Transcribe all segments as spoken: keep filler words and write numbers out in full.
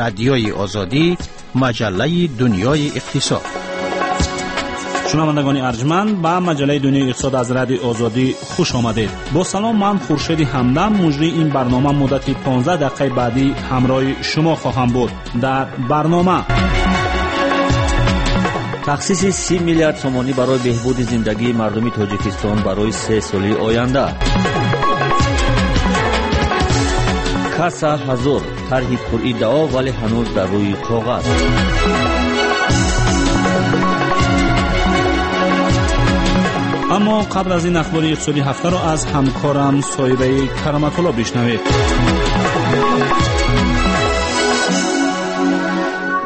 Радиои Озодӣ, маҷаллаи дунёи иқтисод. Шунавандагони арҷманд, ба маҷаллаи дунёи иқтисод аз Радиои Озодӣ хуш омадед. Бо салом, ман Хуршеди Ҳамдам, муҷрии ин барнома муддати понздаҳ дақиқаи баъдӣ ҳамроҳи шумо хоҳам буд. Дар барнома тахсиси си миллиард сомонӣ барои беҳбуди зиндагии мардуми Тоҷикистон барои се соли оянда. Касса ҳазор тарҳи пуриддао, вале ҳанӯз дар рӯи коғаз. Аммо қабл аз ин ахбори иқтисодии ҳафтаро аз ҳамкорам Соҳибаи Кароматулло бишнавед.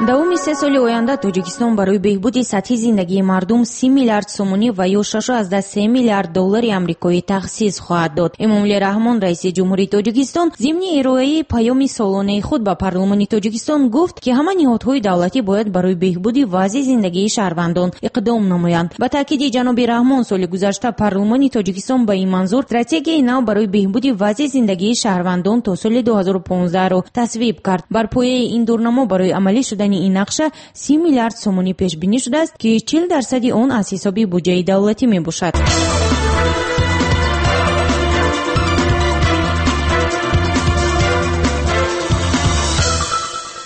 Давоми се соли оянда Тоҷикистон барои беҳбуди сатҳи зиндагии мардум си миллиард сомонӣ ва ё шаш аз се миллиард доллари амрикоӣ тахсис хоҳад дод. Эмомалӣ Раҳмон, раиси ҷумҳурии Тоҷикистон, зимни ироаи паёми солонаи худ ба парлумони Тоҷикистон гуфт, ки ҳама ниҳодҳои давлатӣ бояд барои беҳбуди вазъи зиндагии шаҳрвандон иқдом намоянд. Ба таъкиди ҷаноби Раҳмон, соли гузашта парлумони Тоҷикистон ба ин манзур стратегияи нав барои беҳбуди вазъи зиндагии шаҳрвандон то соли ду ҳазору понздаҳро тасвиб кард. Бар пояи ин дурнамо барои амалӣ шудани ин нақша си миллиард сомонӣ пешбинӣ шудааст, ки чил дарсади он аз ҳисоби буҷаи давлатӣ мебошад.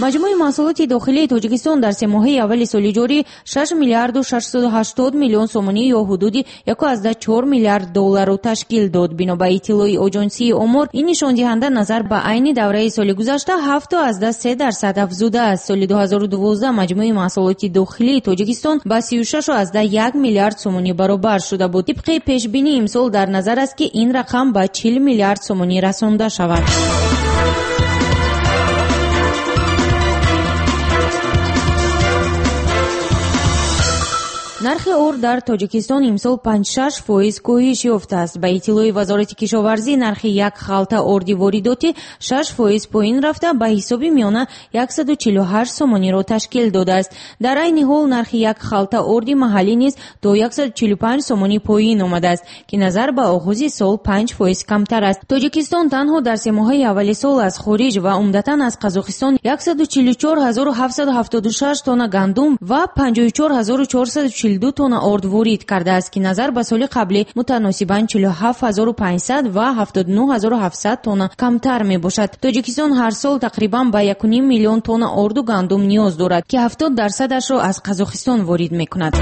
Маҷмӯи маҳсулоти дохилии Тоҷикистон дар семоҳаи аввали соли ҷорӣ шаш миллиарду шашсаду ҳаштод миллион сомонӣ ё ҳудуди яку азда чор миллиард долларро ташкил дод. Бино ба иттилои оҷонсии омор, ин нишондиҳанда назар ба айни давраи соли гузашта ҳафту азда се дарсад афзудааст. Соли ду ҳазору дувоздаҳ маҷмӯи маҳсулоти дохилии Тоҷикистон ба сию шашу азда як миллиард сомонӣ баробар шуда буд. Тибқи пешбинӣ имсол дар назар аст, ки ин рақам ба чил миллиард сомонӣ расонда шавад. Нархи орд дар Тоҷикистон имсол панҷ-шаш фоиз коҳиш ёфтааст. Ба иттилои Вазорати кишоварзӣ, нархи як халта орди воридотӣ шаш фоиз поин рафта, ба ҳисоби миёна яксаду чилу ҳашт сомониро ташкил додааст. Дар айни ҳол нархи як халта орди маҳаллӣ низ то яксаду чилу панҷ сомонӣ поин омадааст, ки назар ба оғози сол панҷ фоиз камтар аст. Тоҷикистон танҳо дар семоҳаи аввали сол аз хориҷ ва умдатан аз Қазоқистон яксаду чилу чор ҳазору ҳафтсаду ҳафтоду шаш тонна гандум ва панҷоҳу чор ҳазору чорсаду чилу ду тонна орд ворид кардааст, ки назар ба соли қаблӣ мутаносибан чилу ҳафт ҳазору панҷсад ва ҳафтоду нӯҳ ҳазору ҳафтсад тонна камтар мебошад. Тоҷикистон ҳар сол тақрибан ба яку ним миллион тонна орду гандум ниёз дорад, ки ҳафтод дарсадашро аз Қазоқистон ворид мекунад.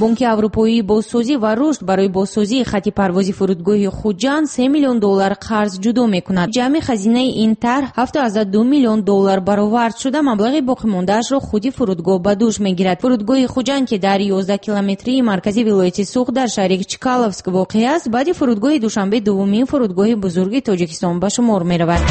Бонки Аврупоии бозсозӣ ва рушд барои бозсозии хати парвози фурудгоҳи Хуҷанд се миллион доллар қарз ҷудо мекунад. Ҷамъи хазинаи ин тарҳ ҳафту азда ду миллион доллар баровард шуда, маблағи боқимондаашро худи фурудгоҳ ба дӯш мегирад. Фурудгоҳи Хуҷанд, ки дар ёздаҳ километрии маркази вилояти Суғд дар шаҳри Чкаловск воқеъ аст, баъди фурудгоҳи Душанбе дуввумин фурудгоҳи бузурги Тоҷикистон ба шумор меравад.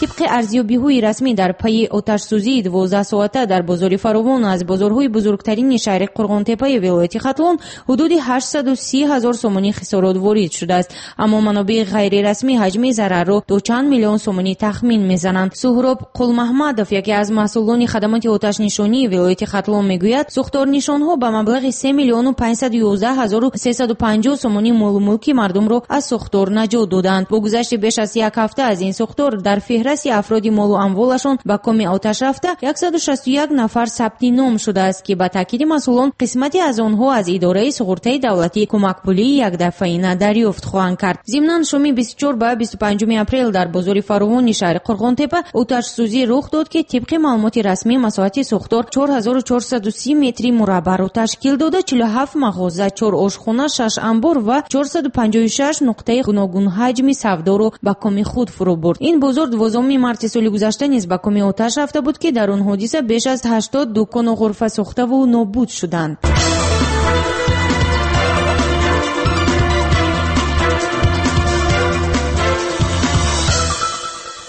Тибқи арзёбиҳои расмӣ дар пайи оташсӯзии дувоздаҳ соата дар бозори Фаровон аз бозорҳои бузургтарини шаҳри Қурғонтеппаи вилояти Хатлон ҳудуди ҳаштсаду си ҳазор сомонӣ хисорот ворид шудааст. Аммо манобеи ғайрирасмӣ ҳаҷми зарарро то чанд миллион сомонӣ тахмин мезананд. Суҳроб Қулмаҳмадов, яке аз масъулони хадамоти оташнишонии вилояти Хатлон, мегӯяд, сӯхторнишонҳо ба маблағи се миллиону панҷсаду ёздаҳ ҳазору сесаду панҷоҳ сомонӣ молу мулки мардумро аз сӯхтор наҷот доданд. Бо гузашти беш аз як ҳафта аз ин сӯхтор дар феҳрасти афроди молу амволашон ба коми оташ рафта яксаду шасту як нафар сабти ном шудааст, ки ба таъкиди масъулон қисмате аз онҳо аз идораи суғуртаи давлатӣ кӯмакпулии якдафъаина дарёфт хоҳанд кард. Зимнан шоми бисту чор ба бисту панҷуми апрел дар бозори Фаровони шаҳри Қурғонтеппа оташсӯзӣ рух дод, ки тибқи маълумоти расмӣ масоҳати сӯхтор чор ҳазору чорсаду си метри мураббаъро ташкил дода, чилу ҳафт мағоза, чор ошхона, шаш анбор ва чорсаду панҷоҳу шаш нуқтаи гуногунҳаҷми савдоро ба коми худ фурӯ бурд. Ин бозор дувоздаҳуми марти соли гузашта низ ба коми оташ рафта буд, ки дар он ҳодиса беш аз ҳаштод дукону ғурфа сӯхтаву нобуд шуданд.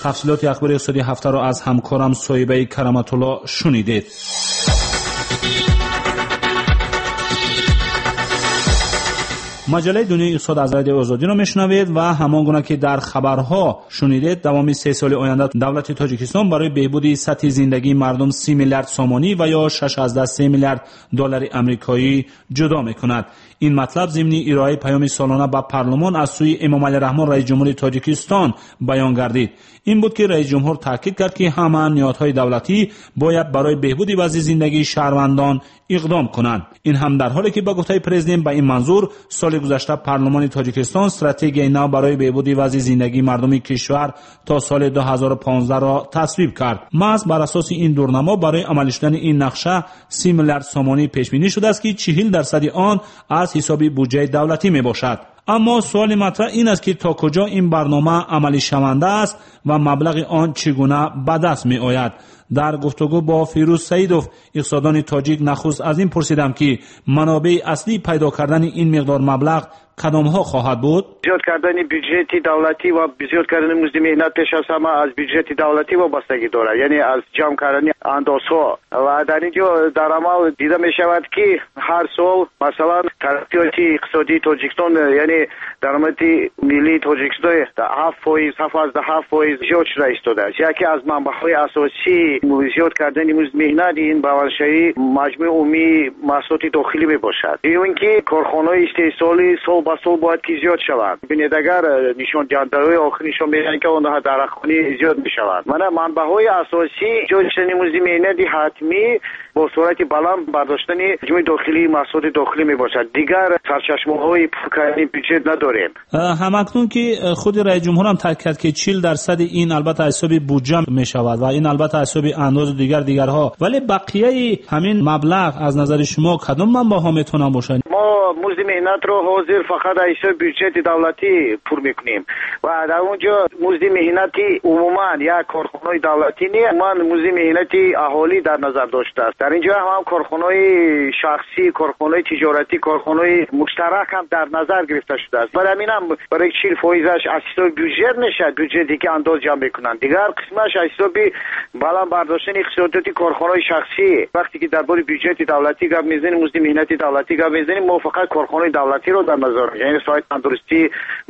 Тафсилоти ахбори иқтисодии ҳафтаро аз ҳамкорам Соҳибаи Кароматулло шунидед. Маҷаллаи дунёи иқтисод аз Радиои Озодиро мешунавед ва ҳамон гуна ки дар хабарҳо шунидед, давоми се соли оянда давлати Тоҷикистон барои беҳбуди сатҳи зиндагии мардум си миллиард сомонӣ ва ё шаш аз даҳ се миллиард доллари амрикоӣ ҷудо мекунад. Ин матлаб зимни ироаи паёми солона ба парлумон аз сӯи Эмомалӣ Раҳмон, раиси ҷумҳури Тоҷикистон, баён гардид. Ин буд ки раиси ҷумҳур таъкид кард, ки ҳама ниҳодҳои давлатӣ бояд барои беҳбуди вазъи зиндагии шаҳрвандон иқдом кунанд. Ин ҳам дар ҳоле ки ба гуфтаи президент ба ин манзур соли гузашта парлумони Тоҷикистон стратегияи нав барои беҳбуди вазъи зиндагии мардуми кишвар то соли ду ҳазору понздаҳ ро тасвиб кард. Маҳз бар асоси ин дурнамо барои амалӣ шудани ин нақша си миллиард сомонӣ пешбинӣ шудааст, ки чиҳил дарсади он аз ҳисоби буҷаи давлатӣ мебошад. Аммо суоли матраҳ ин аст, ки то куҷо ин барнома амалишаванда аст ва маблағи он чӣ гуна ба даст меояд. Дар гуфтугӯ бо Фирӯз Саидов, иқтисоддони тоҷик, нахуст аз ин пурсидам, ки манобеи аслии пайдо кардани ин миқдор маблағ кадомҳо хоҳад буд? Зиёд кардани бюҷети давлатӣ ва зиёд кардани музди меҳнат пеш аз ҳама аз бюҷети давлатӣ вобастагӣ дорад, яъне аз ҷамъ кардани андозҳо. Ва дар ин ҷо дар амал дида мешавад, ки ҳар сол, масалан, тараққиёти иқтисодии Тоҷикистон, яъне даромади миллии Тоҷикистон ҳафт фоиз, ҳафт аз ҳафт фоиз зиёд шуда истодааст. Яке аз манбаъҳои асосии зиёд кардани музди меҳнат ин баландшавии маҷмӯи умумии маҳсулоти дохилӣ мебошад. Ин ки корхонаҳои истеҳсолӣ сол ба сол бояд ки зиёд шаванд. Бинед, агар нишондиҳандаҳои охир нишон медиҳанд, ки онҳо дар рақамӣ зиёд мешаванд. Мана манбаъҳои асосии зиёд шудани музди меҳнати ҳатмӣ бо суръати баланд бардоштани маҷмӯи дохилии маҳсулоти дохилӣ мебошад. Дигар сарчашмаҳои пур кардани бюҷет надорем. Ҳамакнун ки худи раиси ҷумҳурам таъкид кард, ки чил дарсади ин албатта аз ҳисоби буҷа мешавад ва ин албатта аз ҳисоби андозу дигар дигарҳо, вале бақияи ҳамин маблағ аз назари шумо кадом манбаъҳо метавонанд бошанд? Мо музди меҳнатро ҳозир фақат аз ҳисоби бюҷети давлатӣ пур мекунем ва дар он ҷо музди меҳнати умуман як корхонаи давлатӣ не, умуман музди меҳнати аҳолӣ дар назар доштааст. Дар ин ҷо ҳам корхонаҳои шахсӣ, корхонаҳои тиҷоратӣ, корхонаҳои муштарак ҳам дар назар гирифта шудааст. Барои ҳамин ҳам барои чил фоизаш аз ҳисоби бюҷет мешавад, бюҷете ки андоз ҷамъ мекунанд. Дигар қисмаш аз ҳисоби баланд бардоштани иқтисодиёти корхонаҳои шахсӣ. Вақте ки дар бораи бюҷети давлатӣ гап мезанем, музди меҳнати давлатӣ гап мезанем, мо фақат корхонаи давлатиро дар назар, яъне соҳаи тандурустӣ,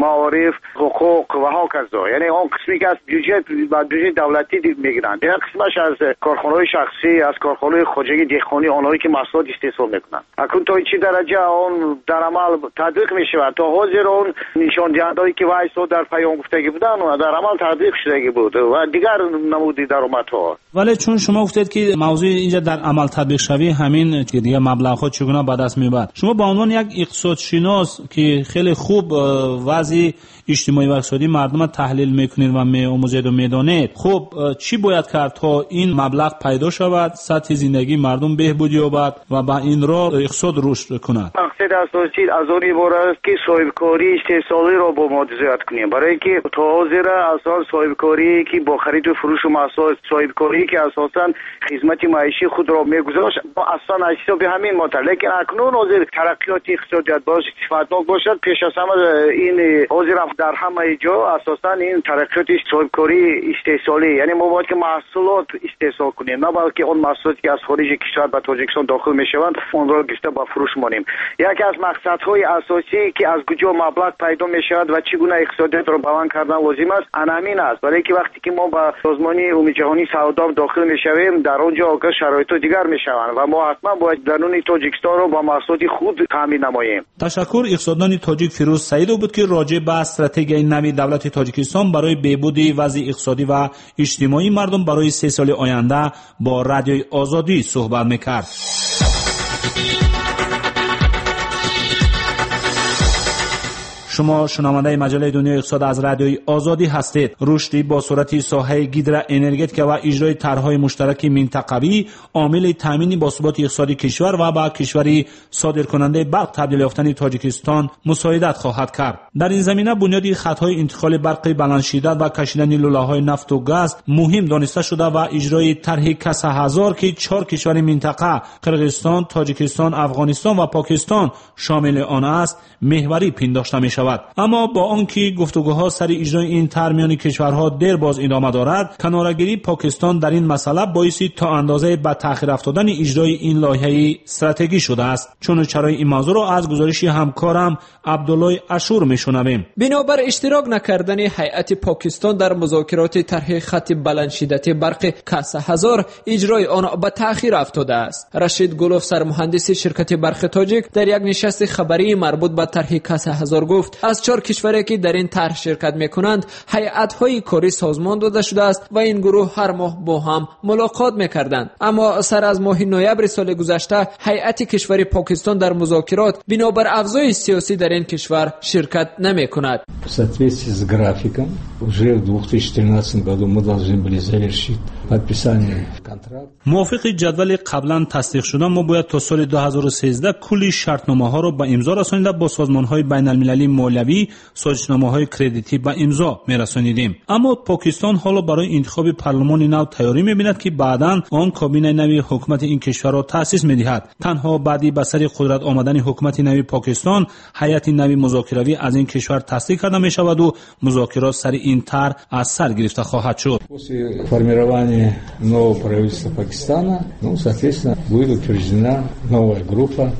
маориф, ҳуқуқ ва ҳоказо, яъне он қисме ки аз бюҷет ба бюҷети давлатӣ мегиранд. Дигар қисмаш аз корхонаҳои шахсӣ, аз корхонаҳои хоҷагии деҳқонӣ, онҳое ки маҳсулот истеҳсол мекунанд. Акнун то чӣ дараҷа он дар амал татбиқ мешавад? То ҳозир он нишондиҳандаҳое ки вайсо дар паём гуфтагӣ буданд, дар амал татбиқ шудагӣ буд ва дигар намуди даромадҳо. Вале чун шумо гуфтед, ки мавзӯи инҷа дар амал татбиқшавӣ ҳамин дигар маблағҳо чӣ гуна ба даст меояд, шумо ба унвони як иқтисодшинос, ки хеле хуб вазъи иҷтимоӣ ва иқтисодии мардумро таҳлил мекунед ва меомӯзед ва медонед, хуб чӣ бояд кард то ин маблағ пайдо шавад, сатҳи зиндагии мардум беҳбуд ёбад ва ба ин роҳ иқтисод рушд кунад? Мақсади асосӣ аз он иборат аст, ки соҳибкории истеҳсолиро бо мо зиёд кунем, барои инки то ҳозир асон соҳибкорие ки бо хариду фурӯшу маҳсулот, соҳибкорие ки асосан хизмати маишии худро мегузошт, мо аслан аз ҳисоби ҳамин мотар. Лекин акнун ҳозир тараққиёти иқтисодият бояд сифатнок бошад. Пеш аз ҳама ин ҳозир дар ҳамаи ҷо асосан ин тараққиёти соҳибкории истеҳсолӣ, яъне мо бояд ки маҳсулот истеҳсол кунем, на балки он маҳсулоте ки аз хориҷи кишвар ба Тоҷикистон дохил мешаванд, онро гирифта ба фурӯш монем. Яке аз мақсадҳои асосӣ ки аз куҷо маблағ пайдо мешавад ва чӣ гуна иқтисодиятро баланд кардан лозим аст, ана ҳамин аст. Барои ки вақте ки мо ба созмони умумиҷаҳонии савдо дохил мешавем, дар он ҷо огоҳ шароитҳо дигар мешаванд ва мо ҳатман бояд даруни Тоҷикистонро ба маҳсулоти худ таъмин намоем. Ташаккур. Иқтисоддони тоҷик Фирӯз Саидов буд, ки роҷеъ ба стратегияи нави давлати Тоҷикистон барои беҳбуди вазъи иқтисодӣ ва иҷтимоии мардум барои се соли оянда бо Радиои Озодӣ суҳбат мекард. Шумо шунавандаи маҷаллаи дунёи иқтисод аз Радиои Озодӣ ҳастед. Рушди бо суръати соҳаи гидроэнергетика ва иҷрои тарҳҳои муштараки минтақавӣ омили таъмини босуботи иқтисоди кишвар ва ба кишвари содиркунандаи барқ табдил ёфтани Тоҷикистон мусоидат хоҳад кард. Дар ин замина бунёди хатҳои интиқоли барқи баландшиддат ва кашидани лӯлаҳои нафту газ муҳим дониста шуда ва иҷрои тарҳи Каса ҳазор, ки чор кишвари минтақа Қирғизистон, Тоҷикистон, Афғонистон ва Покистон шомили он аст, меҳварӣ пиндошта мешавад. мешавад. Аммо бо он ки гуфтугӯҳо сари иҷрои ин тарҳ миёни кишварҳо дер боз идома дорад, канорагирии Покистон дар ин масъала боиси то андозае ба таъхир афтодани иҷрои ин лоиҳаи стратегӣ шудааст. Чуну чарои ин мавзӯъро аз гузориши ҳамкорам Абдуллои Ашур мешунавем. Бинобар иштирок накардани ҳайати Покистон дар музокироти тарҳи хати баландшиддати барқи Каса ҳазор, иҷрои он ба таъхир афтодааст. Рашид Гулов, сармуҳандиси ширкати барқи тоҷик, дар як нишасти хабарии марбут ба тарҳи Каса ҳазор гуфт, аз чор кишваре ки дар ин тарҳ ширкат мекунанд, ҳайатҳои корӣ созмон дода шудааст ва ин гурӯҳ ҳар моҳ бо ҳам мулоқот мекарданд. Аммо сар аз моҳи ноябри соли гузашта ҳайати кишвари Покистон дар музокирот бинобар авзои сиёсӣ дар ин кишвар ширкат намекунад. В соответствии с графиком, уже в две тысячи тринадцатом году мы должны были завершить подписание контракта. Мувофиқи ҷадвали қаблан тасдиқ шуда, мо бояд то соли ду ҳазору сездаҳ кулли шартномаҳоро ба имзо расонида бо созмонҳои байналмилалии молиявӣ созишномаҳои кредитӣ ба имзо мерасонидем. Аммо Покистон ҳоло барои интихоби парлумони нав тайёрӣ мебинад, ки баъдан он кабинаи нави ҳукумати ин кишварро таъсис медиҳад. Танҳо баъди ба сари қудрат омадани ҳукумати нави Покистон ҳайати нави музокиравӣ аз ин кишвар тасдиқ карда мешаваду музокирот сари ин тарҳ аз сар гирифта хоҳад шуд. После формирования нового правительства Пакистана, ну, соответственно, будет утверждена новая группа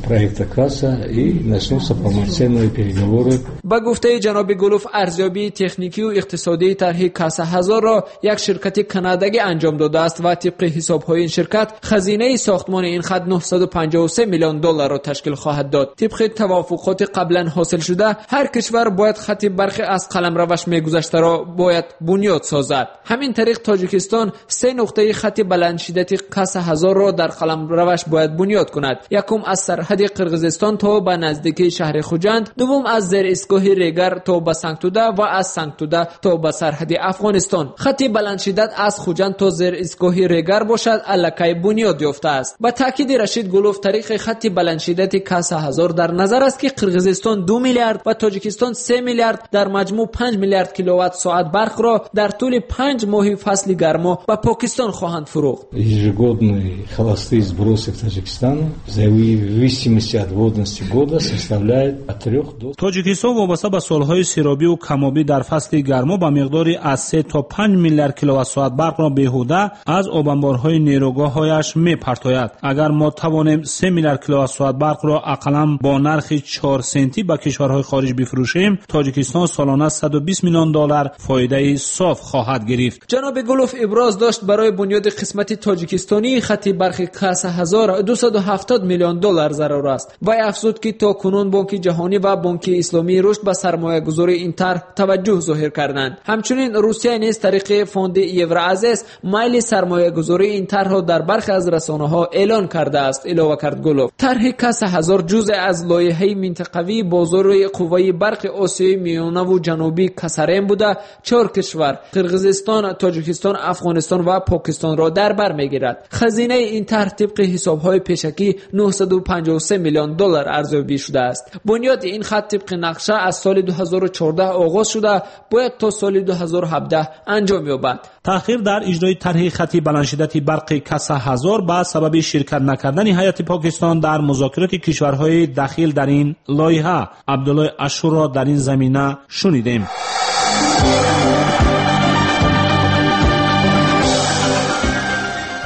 проекта Каса и начнутся полноценные переговоры. Ба гуфтаи ҷаноби Гулов, арзёбии техникию иқтисодии тарҳи Каса ҳазорро як ширкати канадагӣ анҷом додааст ва тибқи ҳисобҳои ин ширкат хазинаи сохтмони ин хат нӯҳсаду панҷоҳу се миллион долларро ташкил хоҳад дод. Тибқи тавофуқоти қаблан ҳосил шуда, ҳар кишвар бояд хати барқи аз қаламраваш мегузаштаро бояд бунёд созад. Ҳамин тариқ Тоҷикистон се нуқтаи хати баландшиддати Каса ҳазорро дар қаламраваш бояд бунёд кунад. Якум аз сарҳади Қирғизистон то ба наздикии шаҳри Хуҷанд, дуввум аз зеристгоҳи Регар то ба Сангтуда ва аз Сангтуда то ба сарҳади Афғонистон. Хати баландшиддат аз Хуҷанд то зеристгоҳи Регар бошад аллакай бунёд ёфтааст. Ба таъкиди Рашид Гулов, тариқи хати баландшиддати Каса ҳазор дар назар аст, ки Қирғизистон ду миллиард ва Тоҷикистон се миллиард, дар маҷмӯъ панҷ миллиард киловатт соат барқро дар тӯли панҷ моҳи фасли гармо ба Покистон хоҳанд фурӯхт. Ежегодные холостые сбросы в Таджикистан в зависимости от водности года составляют от трёх до... Тоҷикистон вобаста ба солҳои серобӣ ва камобӣ дар фасли гармо ба миқдори аз се то панҷ миллиард киловатт-соат барқро беҳуда аз обанборҳои нерӯгоҳҳояш мепартояд. Агар мо тавонем се миллиард киловатт-соат барқро ақаллан бо нархи чор сентӣ ба кишварҳои хориҷ бифурӯшем, Тоҷикистон солона саду бист миллион доллар фоидаи соф хоҳад гирифт. Ҷаноби Гулов иброз дошт, барои бунёди қисмати тоҷикистонии хати барқи Каса ҳазор дусаду ҳафтод миллион доллар зарур аст. Вай афзуд, ки то кунун Бонки Ҷаҳонӣ ва Бонки Исломии Рушд ба сармоягузории ин тарҳ таваҷҷӯҳ зоҳир карданд. Ҳамчунин Русия низ тариқи фонди Евроазес майли сармоягузории ин тарҳро дар бархе аз расонаҳо эълон кардааст, илова кард Гулов. Тарҳи Каса ҳазор ҷузъе аз лоиҳаи минтақавии бозори қувваи барқи Осиёи Миёнаву Ҷанубӣ Касарем буда, чор кишвар Қирғизистон, Тоҷикистон, Афғонистон ва Покистонро дар бар мегирад. Хазинаи ин тарҳ тибқи ҳисобҳои пешакӣ нӯҳсаду панҷоҳу се миллион доллар арзёбӣ шудааст. Бунёди ин хат тибқи нақша аз соли ду ҳазору чордаҳ оғоз шуда, бояд то соли ду ҳазору ҳабдаҳ анҷом ёбад. Таъхир дар иҷрои тарҳи хати баландшиддати барқи Каса ҳазор ба сабаби ширкат накардани ҳайати Покистон дар музокироти кишварҳои дахил дар ин лоиҳа. Абдуллои Ашурро дар ин замина шунидем.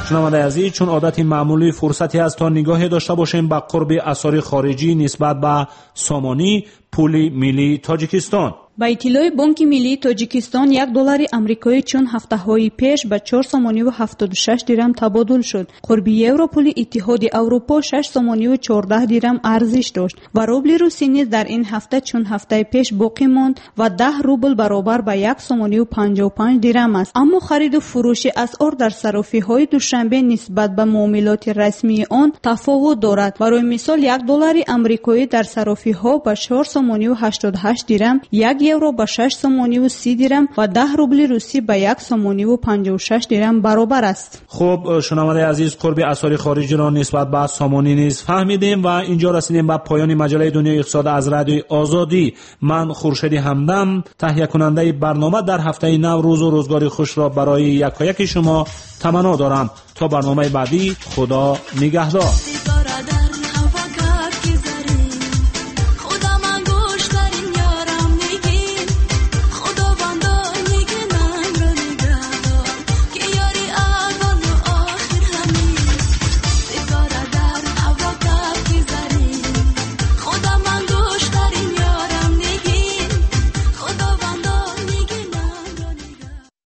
Шунавандаи азиз, чун одати маъмулӣ фурсате аст то нигоҳе дошта бошем ба қурби асъори хориҷӣ нисбат ба сомонӣ, пули миллии Тоҷикистон. Ба иттилои Бонки Миллии Тоҷикистон, як доллари амрикоӣ чун ҳафтаҳои пеш ба чор сомониву ҳафтоду шаш дирам табодул шуд. Қурби евро пули Иттиҳоди Аврупо шаш сомониву чордаҳ дирам арзиш дошт ва рубли русӣ низ дар ин ҳафта чун ҳафтаи пеш боқӣ монд ва даҳ рубл баробар ба як сомониву панҷоҳу панҷ дирам аст. Аммо хариду фурӯши асъор дар сарофиҳои Душанбе нисбат ба муомилоти расмии он тафовут дорад. Барои мисол, як доллари амрикоӣ дар сарофиҳо ба чор сомониву ҳаштоду ҳашт дирам, як евро ба шаш сомониву си дирам ва даҳ рубли русӣ ба як сомониву панҷоҳу шаш дирам баробар аст. Хуб, шунавандаи азиз, қурби асъори хориҷиро нисбат ба сомонӣ низ фаҳмидем ва инҷо расидем ба поёни маҷаллаи дунёи иқтисод аз радиои Озодӣ. Ман Хуршеди Ҳамдам, таҳиякунандаи барнома, дар ҳафтаи нав рӯзу рӯзгори хушро барои якояки шумо таманно дорам. То барномаи баъдӣ, Худо нигаҳдор.